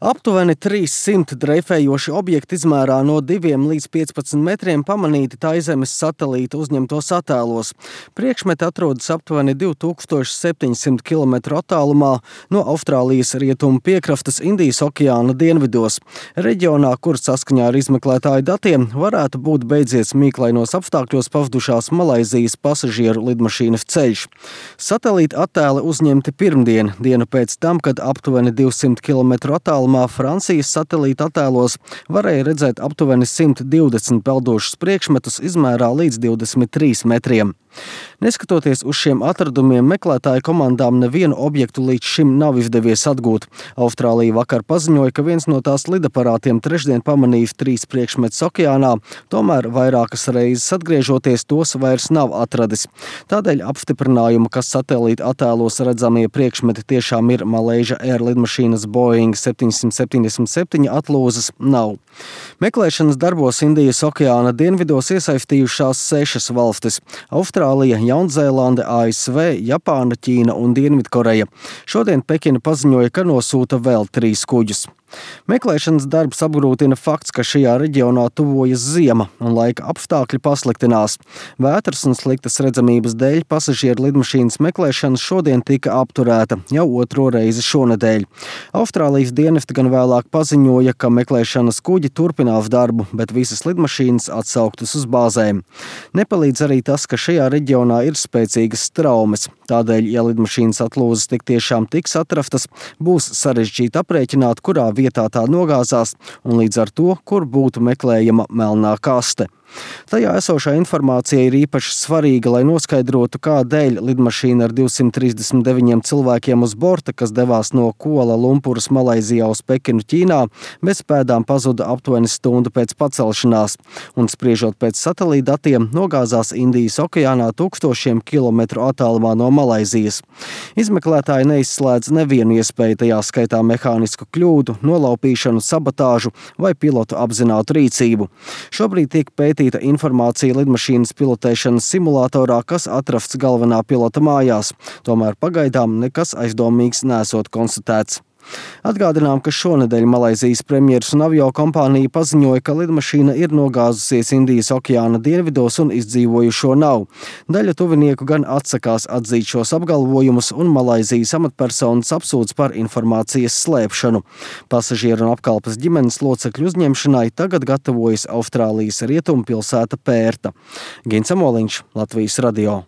Aptuveni 300 dreifējoši objekti izmērā no 2 līdz 15 metriem pamanīti Taizemes satelīta uzņemtos attēlos. Priekšmeti atrodas aptuveni 2700 km attālumā no Austrālijas rietumu piekrastes Indijas okeāna dienvidos. Reģionā, kur saskaņā ar izmeklētāju datiem varētu būt beidzies mīklainos apstākļos pazudušās Malaizijas pasažieru lidmašīnas ceļš. Satelīta attēli uzņemti pirmdien, dienu pēc tam, kad aptuveni 200 km attālumā Francijas satelīta attēlos varēja redzēt aptuveni 120 peldošus priekšmetus izmērā līdz 23 metriem. Neskatoties uz šiem atradumiem, meklētāju komandām nevienu objektu līdz šim nav izdevies atgūt. Austrālija vakar paziņoja, ka viens no tās lidaparātiem trešdien pamanījis 3 priekšmetus okeānā, tomēr vairākas reizes atgriežoties tos vairs nav atradis. Tādēļ apstiprinājumu, ka satelīta attēlos redzamie priekšmeti tiešām ir Malaysia Air lidmašīnas Boeing 777 atlūzas, nav. Meklēšanas darbos Indijas okeāna dienvidos iesaistījušās 6 valstis – Austrālija, Jaunzēlande, ASV, Japāna, Ķīna un Dienvidkoreja. Šodien Pekina paziņoja, ka nosūta vēl 3 kuģus. Meklēšanas darbs apgrūtina fakts, ka šajā reģionā tuvojas ziema un laika apstākļi pasliktinās. Vētras un sliktas redzamības dēļ pasažieru lidmašīnas meklēšana šodien tika apturēta jau 2. reizi šonedēļ. Austrālijas dienesti gan vēlāk paziņoja, ka meklēšanas kuģi turpinās darbu, bet visas lidmašīnas atsauktas uz bāzēm. Nepalīdz arī tas, ka šajā reģionā ir spēcīgas straumes. Tādēļ, ja lidmašīnas atlūzas tik tiešām tiks atrastas, būs sarežģīti aprēķināt, kurā vietā tā nogāzās un līdz ar to, kur būtu meklējama melnā kaste. Tajā esošā informācija ir īpaši svarīga, lai noskaidrotu, kādēļ lidmašīna ar 239 cilvēkiem uz borta, kas devās no Kuala Lumpuras Malaizijā uz Pekinu Ķīnā, bez pēdām pazuda aptuveni stundu pēc pacelšanās, un spriežot pēc satelīta datiem, nogāzās Indijas okeānā 1000 kilometru attālumā no Malaizijas. Izmeklētāji neizslēdz nevienu iespēju, tajā skaitā mehānisku kļūdu, nolaupīšanu, sabotāžu vai pilotu apzinātu rīcību. Šobrīd tiek pētīta informācija lidmašīnas pilotēšanas simulatorā, kas atrasts galvenā pilota mājās. Tomēr pagaidām nekas aizdomīgs nesot konstatēts. Atgādinām, ka šonedēļ Malaizijas premjeras un aviokompānija paziņoja, ka lidmašīna ir nogāzusies Indijas okeāna dienvidos un izdzīvojušo nav. Daļa tuvinieku gan atsakās atzīt šos apgalvojumus, un Malaizijas amatpersonas apsūdz par informācijas slēpšanu. Pasažieru un apkalpes ģimenes locekļu uzņemšanai tagad gatavojas Austrālijas rietumu pilsēta Pērta. Gins Amoliņš, Latvijas radio.